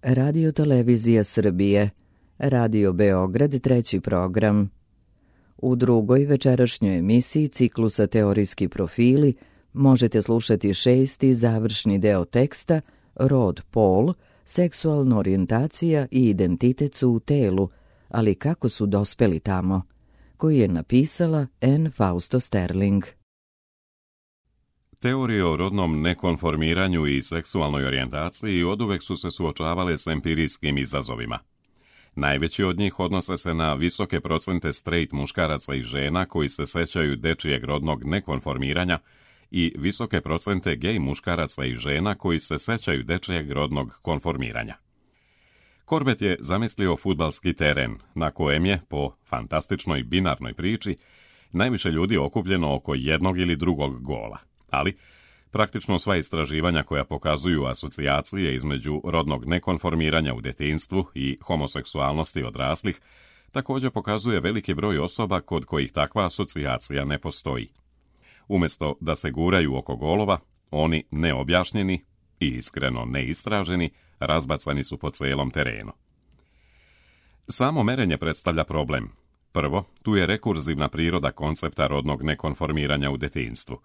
Radio Televizija Srbije, Radio Beograd, treći program. U drugoj večerašnjoj emisiji ciklusa Teorijski profili možete slušati šesti završni deo teksta Rod, pol, seksualna orijentacija i identitet su u telu, ali kako su dospeli tamo, koji je napisala N. Fausto Sterling. Teorije o rodnom nekonformiranju i seksualnoj orijentaciji oduvek su se suočavale s empirijskim izazovima. Najveći od njih odnose se na visoke procente straight muškaraca i žena koji se sećaju dečijeg rodnog nekonformiranja i visoke procente gej muškaraca i žena koji se sećaju dečijeg rodnog konformiranja. Corbett je zamislio fudbalski teren na kojem je, po fantastičnoj binarnoj priči, najviše ljudi okupljeno oko jednog ili drugog gola. Ali, praktično sva istraživanja koja pokazuju asocijacije između rodnog nekonformiranja u detinjstvu i homoseksualnosti odraslih također pokazuje veliki broj osoba kod kojih takva asocijacija ne postoji. Umjesto da se guraju oko golova, oni neobjašnjeni i iskreno neistraženi razbacani su po cijelom terenu. Samo merenje predstavlja problem. Prvo, tu je rekurzivna priroda koncepta rodnog nekonformiranja u detinjstvu.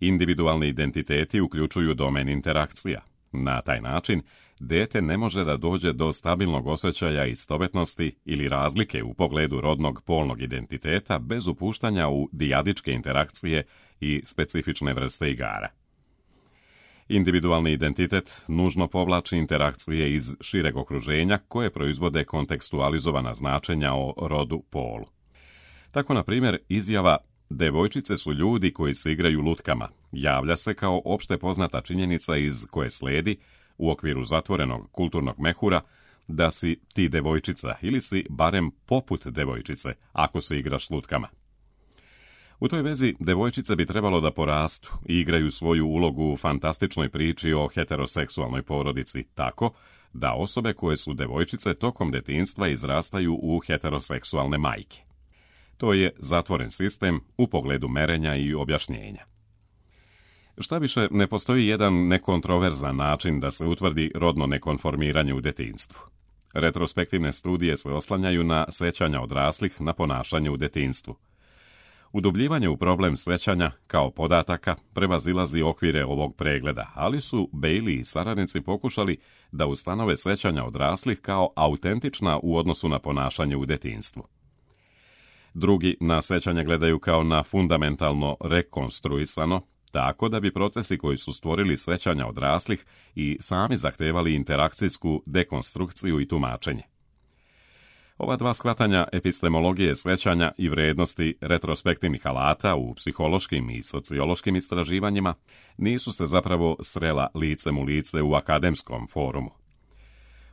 Individualni identiteti uključuju domen interakcija. Na taj način, dete ne može da dođe do stabilnog osjećaja istovetnosti ili razlike u pogledu rodnog polnog identiteta bez upuštanja u dijadičke interakcije i specifične vrste igara. Individualni identitet nužno povlači interakcije iz šireg okruženja koje proizvode kontekstualizovana značenja o rodu polu. Tako, na primjer, izjava "devojčice su ljudi koji se igraju lutkama" javlja se kao opšte poznata činjenica iz koje sledi, u okviru zatvorenog kulturnog mehura, da si ti devojčica ili si barem poput devojčice ako se igraš s lutkama. U toj vezi devojčice bi trebalo da porastu i igraju svoju ulogu u fantastičnoj priči o heteroseksualnoj porodici tako da osobe koje su devojčice tokom detinjstva izrastaju u heteroseksualne majke. To je zatvoren sistem u pogledu merenja i objašnjenja. Šta više, ne postoji jedan nekontroverzan način da se utvrdi rodno nekonformiranje u detinjstvu. Retrospektivne studije se oslanjaju na sećanja odraslih na ponašanje u detinjstvu. Udubljivanje u problem sećanja kao podataka prevazilazi okvire ovog pregleda, ali su Bailey i saradnici pokušali da ustanove sećanja odraslih kao autentična u odnosu na ponašanje u detinjstvu. Drugi na sećanje gledaju kao na fundamentalno rekonstruisano, tako da bi procesi koji su stvorili sećanja odraslih i sami zahtevali interakcijsku dekonstrukciju i tumačenje. Ova dva shvatanja epistemologije sećanja i vrednosti retrospektivnih alata u psihološkim i sociološkim istraživanjima nisu se zapravo srela licem u lice u akademskom forumu.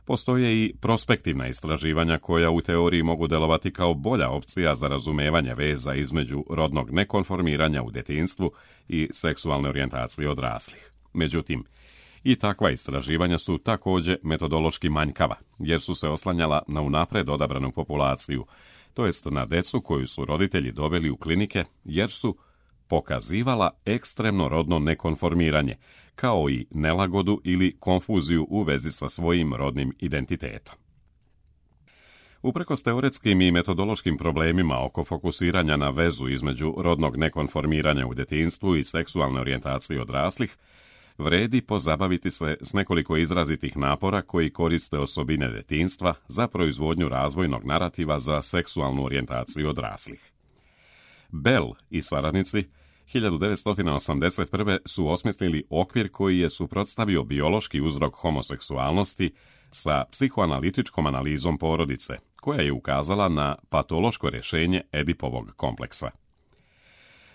Postoje i prospektivna istraživanja koja u teoriji mogu delovati kao bolja opcija za razumevanje veza između rodnog nekonformiranja u detinjstvu i seksualne orijentacije odraslih. Međutim, i takva istraživanja su također metodološki manjkava, jer su se oslanjala na unapred odabranu populaciju, to jest na decu koju su roditelji doveli u klinike, jer su pokazivala ekstremno rodno nekonformiranje, kao i nelagodu ili konfuziju u vezi sa svojim rodnim identitetom. Uprkos teoretskim i metodološkim problemima oko fokusiranja na vezu između rodnog nekonformiranja u detinjstvu i seksualne orijentacije odraslih, vredi pozabaviti se s nekoliko izrazitih napora koji koriste osobine detinjstva za proizvodnju razvojnog narativa za seksualnu orijentaciju odraslih. Bell i saradnici 1981. su osmislili okvir koji je suprotstavio biološki uzrok homoseksualnosti sa psihoanalitičkom analizom porodice, koja je ukazala na patološko rješenje Edipovog kompleksa.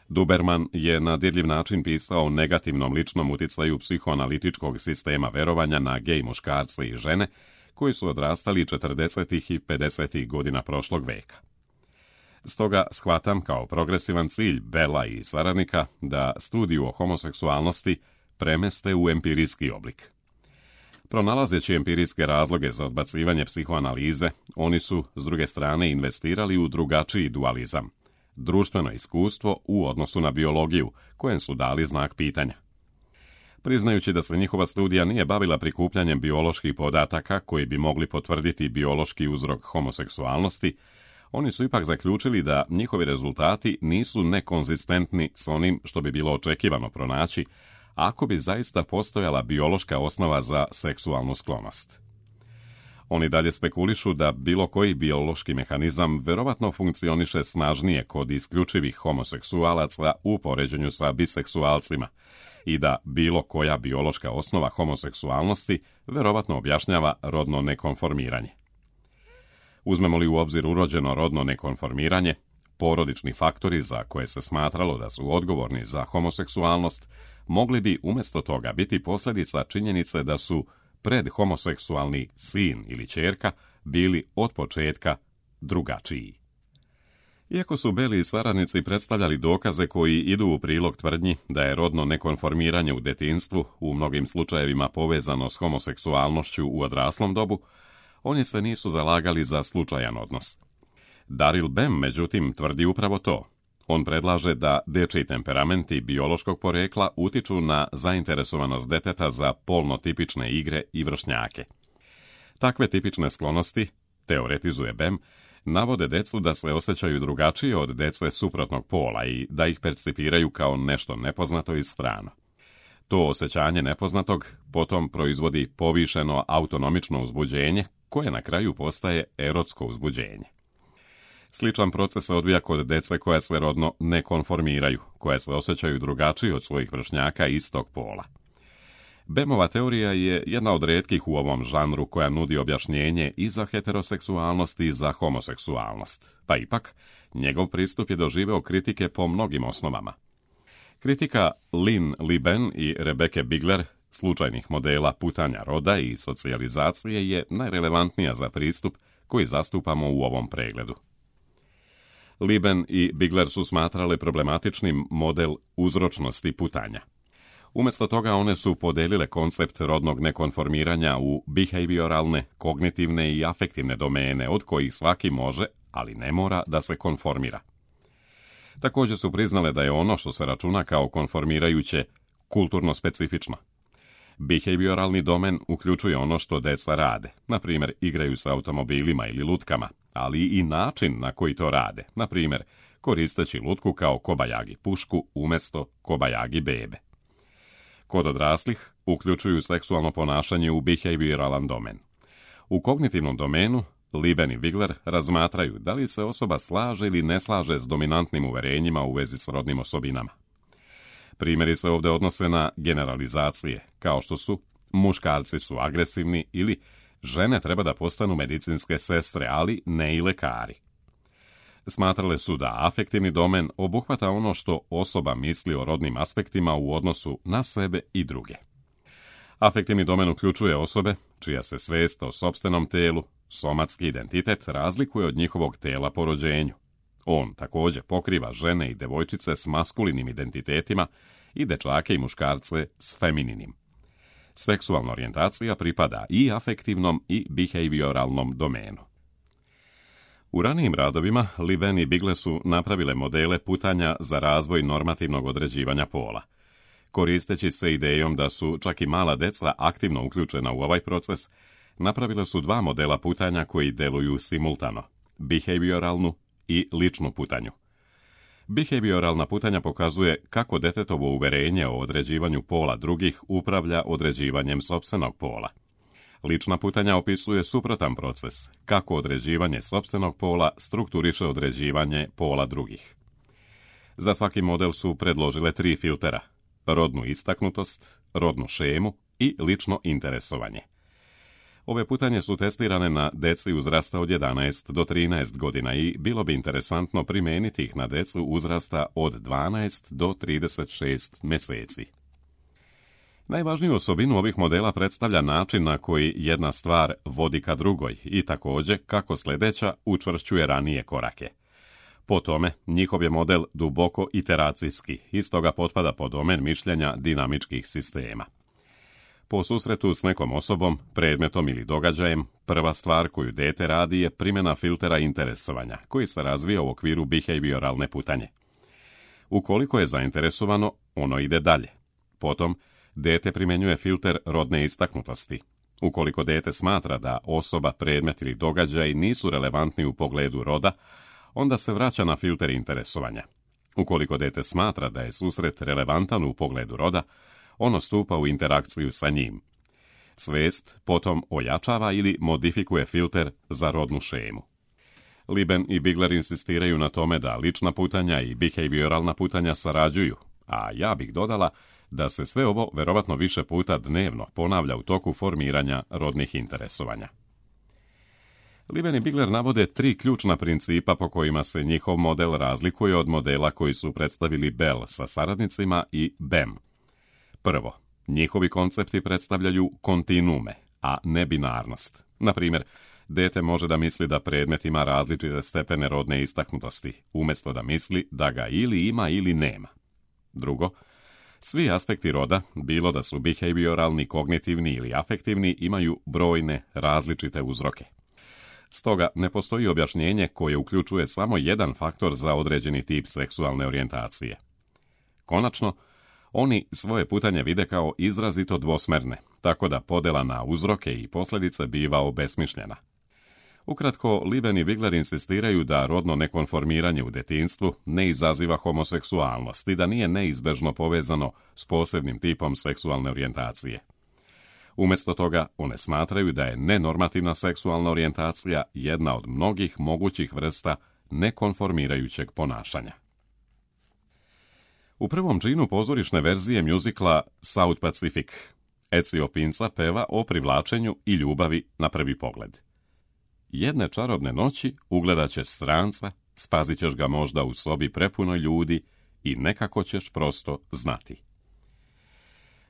Duberman je na dirljiv način pisao o negativnom ličnom uticaju psihoanalitičkog sistema verovanja na gej muškarce i žene koji su odrastali 40. i 50. godina prošlog veka. Stoga shvatam kao progresivan cilj Bella i saradnika da studiju o homoseksualnosti premeste u empirijski oblik. Pronalazeći empirijske razloge za odbacivanje psihoanalize, oni su, s druge strane, investirali u drugačiji dualizam, društveno iskustvo u odnosu na biologiju, kojem su dali znak pitanja. Priznajući da se njihova studija nije bavila prikupljanjem bioloških podataka koji bi mogli potvrditi biološki uzrok homoseksualnosti, oni su ipak zaključili da njihovi rezultati nisu nekonzistentni s onim što bi bilo očekivano pronaći ako bi zaista postojala biološka osnova za seksualnu sklonost. Oni dalje spekulišu da bilo koji biološki mehanizam verovatno funkcioniše snažnije kod isključivih homoseksualaca u poređenju sa biseksualcima i da bilo koja biološka osnova homoseksualnosti verovatno objašnjava rodno nekonformiranje. Uzmemo li u obzir urođeno rodno nekonformiranje, porodični faktori za koje se smatralo da su odgovorni za homoseksualnost mogli bi umjesto toga biti posljedica činjenice da su predhomoseksualni sin ili ćerka bili od početka drugačiji. Iako su Beli i saradnici predstavljali dokaze koji idu u prilog tvrdnji da je rodno nekonformiranje u detinjstvu u mnogim slučajevima povezano s homoseksualnošću u odraslom dobu, oni se nisu zalagali za slučajan odnos. Daryl Bem, međutim, tvrdi upravo to. On predlaže da dečji temperamenti biološkog porekla utiču na zainteresovanost deteta za polno tipične igre i vršnjake. Takve tipične sklonosti, teoretizuje Bem, navode decu da se osjećaju drugačije od dece suprotnog pola i da ih percipiraju kao nešto nepoznato i strano. To osjećanje nepoznatog potom proizvodi povišeno autonomično uzbuđenje koje na kraju postaje erotsko uzbuđenje. Sličan proces se odvija kod dece koja se rodno ne konformiraju, koja se osjećaju drugačije od svojih vršnjaka istog pola. Bemova teorija je jedna od retkih u ovom žanru koja nudi objašnjenje i za heteroseksualnost i za homoseksualnost, pa ipak njegov pristup je doživeo kritike po mnogim osnovama. Kritika Lynn Liben i Rebecca Bigler slučajnih modela putanja roda i socijalizacije je najrelevantnija za pristup koji zastupamo u ovom pregledu. Liben i Bigler su smatrale problematičnim model uzročnosti putanja. Umjesto toga one su podelile koncept rodnog nekonformiranja u behavioralne, kognitivne i afektivne domene od kojih svaki može, ali ne mora da se konformira. Također su priznale da je ono što se računa kao konformirajuće kulturno specifično. Behavioralni domen uključuje ono što deca rade, na primjer igraju sa automobilima ili lutkama, ali i način na koji to rade, na primjer koristeći lutku kao kobajagi pušku umjesto kobajagi bebe. Kod odraslih uključuju seksualno ponašanje u behavioralan domen. U kognitivnom domenu Liben i Bigler razmatraju da li se osoba slaže ili ne slaže s dominantnim uverenjima u vezi s rodnim osobinama. Primjeri se ovdje odnose na generalizacije, kao što su muškarci su agresivni ili žene treba da postanu medicinske sestre, ali ne i lekari. Smatrale su da afektivni domen obuhvata ono što osoba misli o rodnim aspektima u odnosu na sebe i druge. Afektivni domen uključuje osobe čija se svijest o sopstvenom telu, somatski identitet razlikuje od njihovog tela po rođenju. On također pokriva žene i devojčice s maskulinim identitetima i dečake i muškarce s femininim. Seksualna orijentacija pripada i afektivnom i behavioralnom domenu. U ranijim radovima Liben i Bigler su napravile modele putanja za razvoj normativnog određivanja pola. Koristeći se idejom da su čak i mala deca aktivno uključena u ovaj proces, napravile su dva modela putanja koji deluju simultano, behavioralnu i ličnu putanju. Behavioralna putanja pokazuje kako detetovo uverenje o određivanju pola drugih upravlja određivanjem sopstvenog pola. Lična putanja opisuje suprotan proces, kako određivanje sopstvenog pola strukturiše određivanje pola drugih. Za svaki model su predložile 3 filtera: rodnu istaknutost, rodnu šemu i lično interesovanje. Ove putanje su testirane na deci uzrasta od 11 do 13 godina i bilo bi interesantno primijeniti ih na decu uzrasta od 12 do 36 mjeseci. Najvažniju osobinu ovih modela predstavlja način na koji jedna stvar vodi ka drugoj i također kako sljedeća učvršćuje ranije korake. Po tome, njihov je model duboko iteracijski i stoga potpada pod domen mišljenja dinamičkih sistema. Po susretu s nekom osobom, predmetom ili događajem, prva stvar koju dete radi je primjena filtera interesovanja, koji se razvija u okviru behavioralne putanje. Ukoliko je zainteresovano, ono ide dalje. Potom, dete primjenjuje filter rodne istaknutosti. Ukoliko dete smatra da osoba, predmet ili događaj nisu relevantni u pogledu roda, onda se vraća na filter interesovanja. Ukoliko dete smatra da je susret relevantan u pogledu roda, ono stupa u interakciju sa njim. Svest potom ojačava ili modifikuje filter za rodnu šemu. Liben i Bigler insistiraju na tome da lična putanja i behavioralna putanja sarađuju, a ja bih dodala da se sve ovo verovatno više puta dnevno ponavlja u toku formiranja rodnih interesovanja. Liben i Bigler navode 3 ključna principa po kojima se njihov model razlikuje od modela koji su predstavili Bell sa saradnicima i Bem. Prvo, njihovi koncepti predstavljaju kontinuume, a ne binarnost. Na primjer, dete može da misli da predmet ima različite stepene rodne istaknutosti, umjesto da misli da ga ili ima ili nema. Drugo, svi aspekti roda, bilo da su behavioralni, kognitivni ili afektivni, imaju brojne različite uzroke. Stoga ne postoji objašnjenje koje uključuje samo jedan faktor za određeni tip seksualne orijentacije. Konačno, oni svoje putanje vide kao izrazito dvosmerne, tako da podela na uzroke i posljedice biva obesmišljena. Ukratko, Liben i Bigler insistiraju da rodno nekonformiranje u detinjstvu ne izaziva homoseksualnost i da nije neizbežno povezano s posebnim tipom seksualne orijentacije. Umjesto toga, one smatraju da je nenormativna seksualna orijentacija jedna od mnogih mogućih vrsta nekonformirajućeg ponašanja. U prvom džinu pozorišne verzije mjuzikla South Pacific, Ezio Pinza peva o privlačenju i ljubavi na prvi pogled. Jedne čarobne noći ugledat ćeš stranca, spazit ćeš ga možda u sobi prepunoj ljudi i nekako ćeš prosto znati.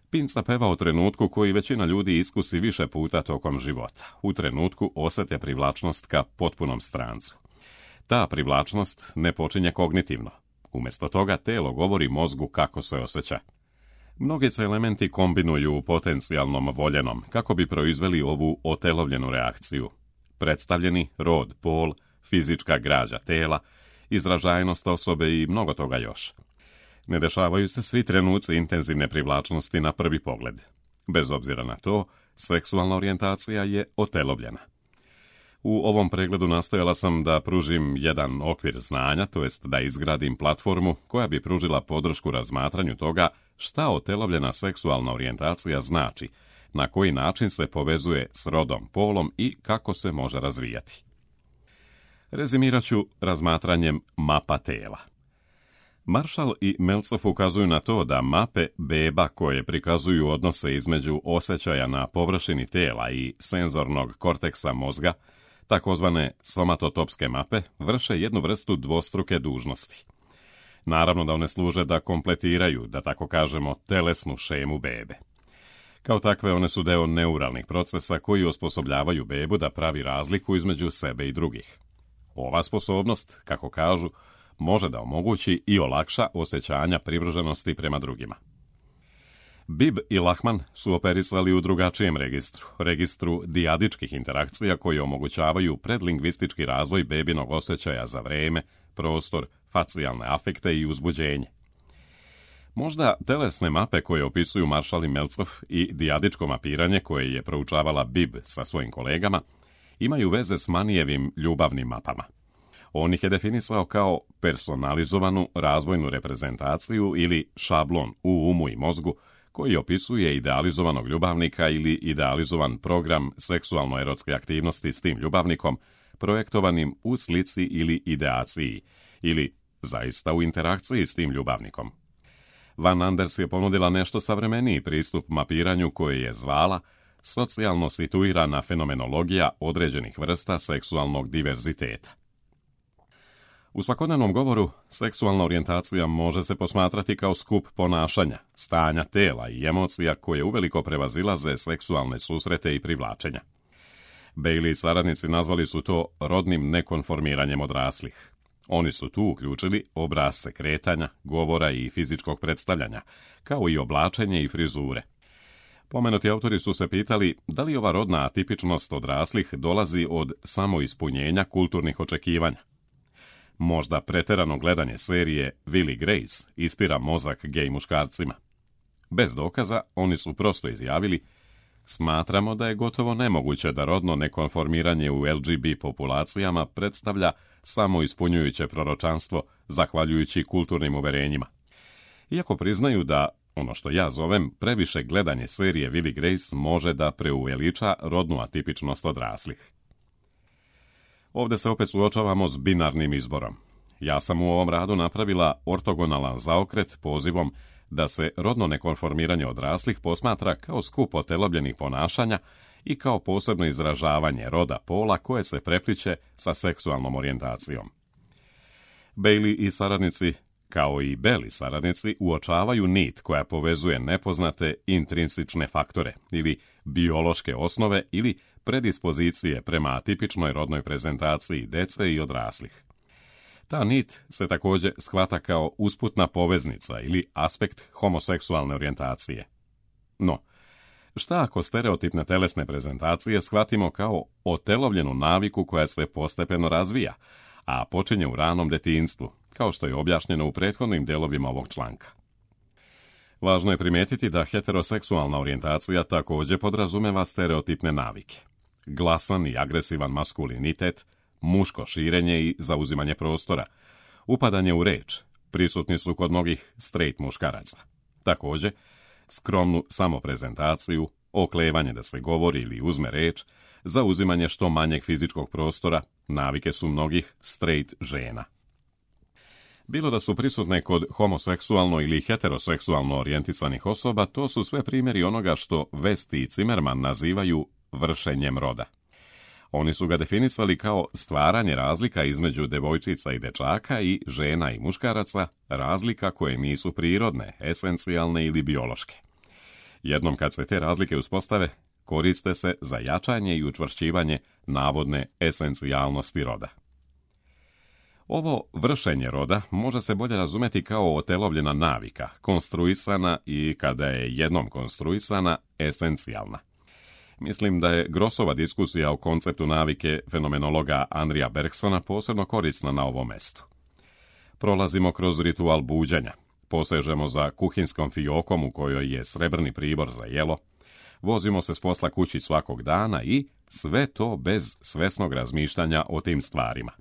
Pinza peva o trenutku koji većina ljudi iskusi više puta tokom života. U trenutku osjete privlačnost ka potpunom strancu. Ta privlačnost ne počinje kognitivno. Umjesto toga telo govori mozgu kako se osjeća. Mnogi se elementi kombinuju u potencijalnom voljenom kako bi proizveli ovu otelovljenu reakciju. Predstavljeni rod, pol, fizička građa tela, izražajnost osobe i mnogo toga još. Ne dešavaju se svi trenuci intenzivne privlačnosti na prvi pogled. Bez obzira na to, seksualna orijentacija je otelovljena. U ovom pregledu nastojala sam da pružim jedan okvir znanja, to jest da izgradim platformu koja bi pružila podršku razmatranju toga šta otelovljena seksualna orijentacija znači, na koji način se povezuje s rodom, polom i kako se može razvijati. Rezimirat ću razmatranjem mapa tela. Marshall i Meltzoff ukazuju na to da mape beba koje prikazuju odnose između osjećaja na površini tela i senzornog korteksa mozga, takozvane somatotopske mape, vrše jednu vrstu dvostruke dužnosti. Naravno da one služe da kompletiraju, da tako kažemo, telesnu šemu bebe. Kao takve one su deo neuralnih procesa koji osposobljavaju bebu da pravi razliku između sebe i drugih. Ova sposobnost, kako kažu, može da omogući i olakša osjećanja privrženosti prema drugima. Bibb i Lachman su operisali u drugačijem registru dijadičkih interakcija koji omogućavaju predlingvistički razvoj bebinog osjećaja za vreme, prostor, facijalne afekte i uzbuđenje. Možda telesne mape koje opisuju Marshall i Meltzoff i dijadičko mapiranje koje je proučavala Bibb sa svojim kolegama imaju veze s Manijevim ljubavnim mapama. On ih je definisao kao personalizovanu razvojnu reprezentaciju ili šablon u umu i mozgu koji opisuje idealizovanog ljubavnika ili idealizovan program seksualno-erotske aktivnosti s tim ljubavnikom projektovanim u slici ili ideaciji ili zaista u interakciji s tim ljubavnikom. Van Anders je ponudila nešto savremeniji pristup mapiranju koje je zvala socijalno situirana fenomenologija određenih vrsta seksualnog diverziteta. U svakodnevnom govoru, seksualna orijentacija može se posmatrati kao skup ponašanja, stanja tela i emocija koje uveliko prevazilaze seksualne susrete i privlačenja. Bailey i saradnici nazvali su to rodnim nekonformiranjem odraslih. Oni su tu uključili obrasce kretanja, govora i fizičkog predstavljanja, kao i oblačenje i frizure. Pomenuti autori su se pitali da li ova rodna atipičnost odraslih dolazi od samoispunjenja kulturnih očekivanja. Možda preterano gledanje serije Will i Grace ispira mozak gej muškarcima. Bez dokaza, oni su prosto izjavili: smatramo da je gotovo nemoguće da rodno nekonformiranje u LGBT populacijama predstavlja samo ispunjujuće proročanstvo zahvaljujući kulturnim uverenjima. Iako priznaju da, ono što ja zovem, previše gledanje serije Will i Grace može da preuveliča rodnu atipičnost odraslih. Ovdje se opet suočavamo s binarnim izborom. Ja sam u ovom radu napravila ortogonalan zaokret pozivom da se rodno nekonformiranje odraslih posmatra kao skup otelobljenih ponašanja i kao posebno izražavanje roda pola koje se prepliče sa seksualnom orijentacijom. Bailey i saradnici, kao i Bell saradnici, uočavaju nit koja povezuje nepoznate intrinsične faktore ili biološke osnove ili predispozicije prema atipičnoj rodnoj prezentaciji dece i odraslih. Ta nit se također shvata kao usputna poveznica ili aspekt homoseksualne orijentacije. No, šta ako stereotipne telesne prezentacije shvatimo kao otelovljenu naviku koja se postepeno razvija, a počinje u ranom detinjstvu, kao što je objašnjeno u prethodnim delovima ovog članka? Važno je primijetiti da heteroseksualna orijentacija također podrazumeva stereotipne navike. Glasan i agresivan maskulinitet, muško širenje i zauzimanje prostora, upadanje u reč, prisutni su kod mnogih straight muškaraca. Također, skromnu samoprezentaciju, oklevanje da se govori ili uzme reč, zauzimanje što manjeg fizičkog prostora, navike su mnogih straight žena. Bilo da su prisutne kod homoseksualno ili heteroseksualno orijentisanih osoba, to su sve primjeri onoga što West i Zimmerman nazivaju vršenjem roda. Oni su ga definisali kao stvaranje razlika između devojčica i dečaka i žena i muškaraca, razlika koje nisu prirodne, esencijalne ili biološke. Jednom kad se te razlike uspostave, koriste se za jačanje i učvršćivanje navodne esencijalnosti roda. Ovo vršenje roda može se bolje razumjeti kao otelovljena navika, konstruisana i, kada je jednom konstruisana, esencijalna. Mislim da je Grossova diskusija o konceptu navike fenomenologa Andrija Bergsona posebno korisna na ovom mestu. Prolazimo kroz ritual buđenja, posežemo za kuhinskom fiokom u kojoj je srebrni pribor za jelo, vozimo se s posla kući svakog dana i sve to bez svesnog razmišljanja o tim stvarima.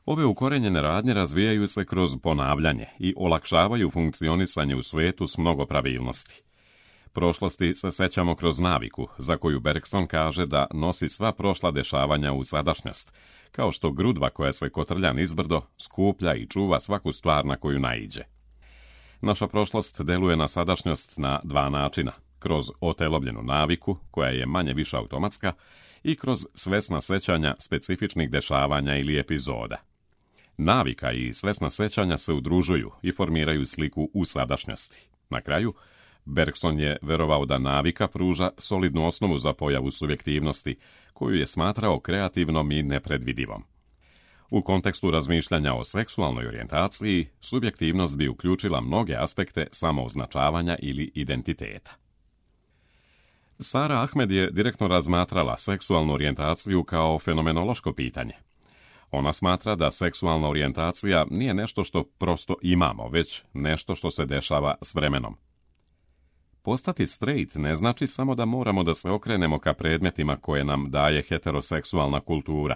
Ove ukorenjene radnje razvijaju se kroz ponavljanje i olakšavaju funkcionisanje u svijetu s mnogo pravilnosti. Prošlosti se sećamo kroz naviku, za koju Bergson kaže da nosi sva prošla dešavanja u sadašnjost, kao što grudva koja se kotrlja nizbrdo skuplja i čuva svaku stvar na koju naiđe. Naša prošlost deluje na sadašnjost na dva načina, kroz otelovljenu naviku, koja je manje više automatska, i kroz svesna sećanja specifičnih dešavanja ili epizoda. Navika i svesna sećanja se udružuju i formiraju sliku u sadašnjosti. Na kraju, Bergson je verovao da navika pruža solidnu osnovu za pojavu subjektivnosti, koju je smatrao kreativnom i nepredvidivom. U kontekstu razmišljanja o seksualnoj orijentaciji, subjektivnost bi uključila mnoge aspekte samooznačavanja ili identiteta. Sara Ahmed je direktno razmatrala seksualnu orijentaciju kao fenomenološko pitanje. Ona smatra da seksualna orijentacija nije nešto što prosto imamo, već nešto što se dešava s vremenom. Postati straight ne znači samo da moramo da se okrenemo ka predmetima koje nam daje heteroseksualna kultura,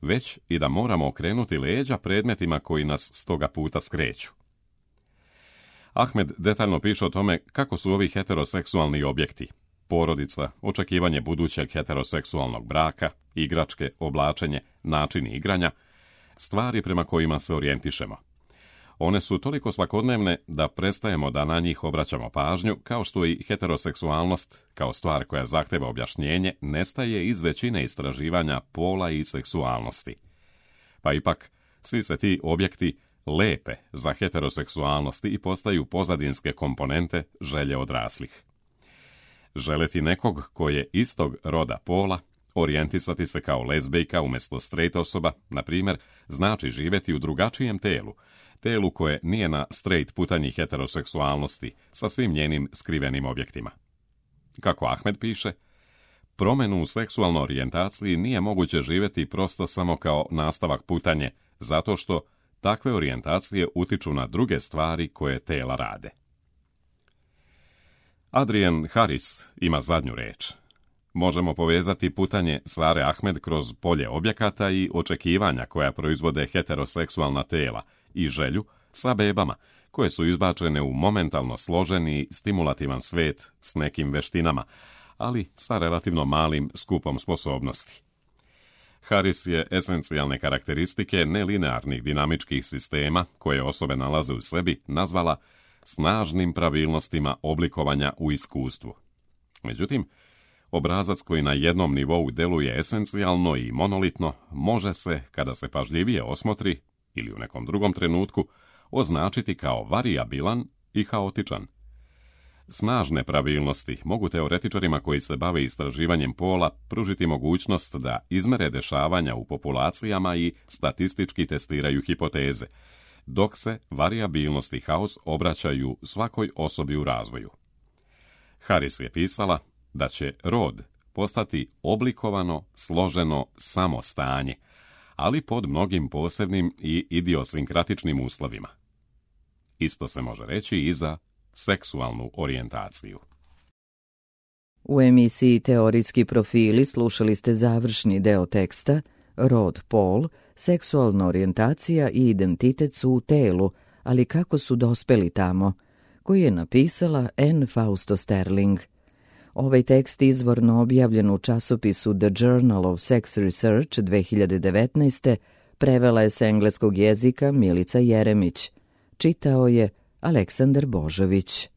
već i da moramo okrenuti leđa predmetima koji nas s toga puta skreću. Ahmed detaljno piše o tome kako su ovi heteroseksualni objekti, porodica, očekivanje budućeg heteroseksualnog braka, igračke, oblačenje, načini igranja, stvari prema kojima se orijentišemo. One su toliko svakodnevne da prestajemo da na njih obraćamo pažnju, kao što i heteroseksualnost, kao stvar koja zahteva objašnjenje, nestaje iz većine istraživanja pola i seksualnosti. Pa ipak, svi se ti objekti lepe za heteroseksualnosti i postaju pozadinske komponente želje odraslih. Želeti nekog ko je istog roda pola, orijentisati se kao lezbejka umjesto straight osoba, na primjer, znači živjeti u drugačijem telu koje nije na straight putanji heteroseksualnosti sa svim njenim skrivenim objektima. Kako Ahmed piše, promjenu u seksualnoj orijentaciji nije moguće živjeti prosto samo kao nastavak putanje, zato što takve orijentacije utiču na druge stvari koje tela rade. Adrian Harris ima zadnju reč. Možemo povezati putanje Sare Ahmed kroz polje objekata i očekivanja koja proizvode heteroseksualna tela i želju sa bebama, koje su izbačene u momentalno složen i stimulativan svet s nekim veštinama, ali sa relativno malim skupom sposobnosti. Harris je esencijalne karakteristike nelinearnih dinamičkih sistema, koje osobe nalaze u sebi, nazvala snažnim pravilnostima oblikovanja u iskustvu. Međutim, obrazac koji na jednom nivou deluje esencijalno i monolitno može se, kada se pažljivije osmotri ili u nekom drugom trenutku, označiti kao varijabilan i haotičan. Snažne pravilnosti mogu teoretičarima koji se bave istraživanjem pola pružiti mogućnost da izmere dešavanja u populacijama i statistički testiraju hipoteze, dok se varijabilnost i haos obraćaju svakoj osobi u razvoju. Harris je pisala da će rod postati oblikovano, složeno samostanje, ali pod mnogim posebnim i idiosinkratičnim uslovima. Isto se može reći i za seksualnu orijentaciju. U emisiji Teorijski profili slušali ste završni deo teksta Rod, pol, seksualna orijentacija i identitet su u telu, ali kako su dospeli tamo, koji je napisala Anne Fausto Sterling. Ovaj tekst izvorno objavljen u časopisu The Journal of Sex Research 2019. prevela je s engleskog jezika Milica Jeremić. Čitao je Aleksandar Božović.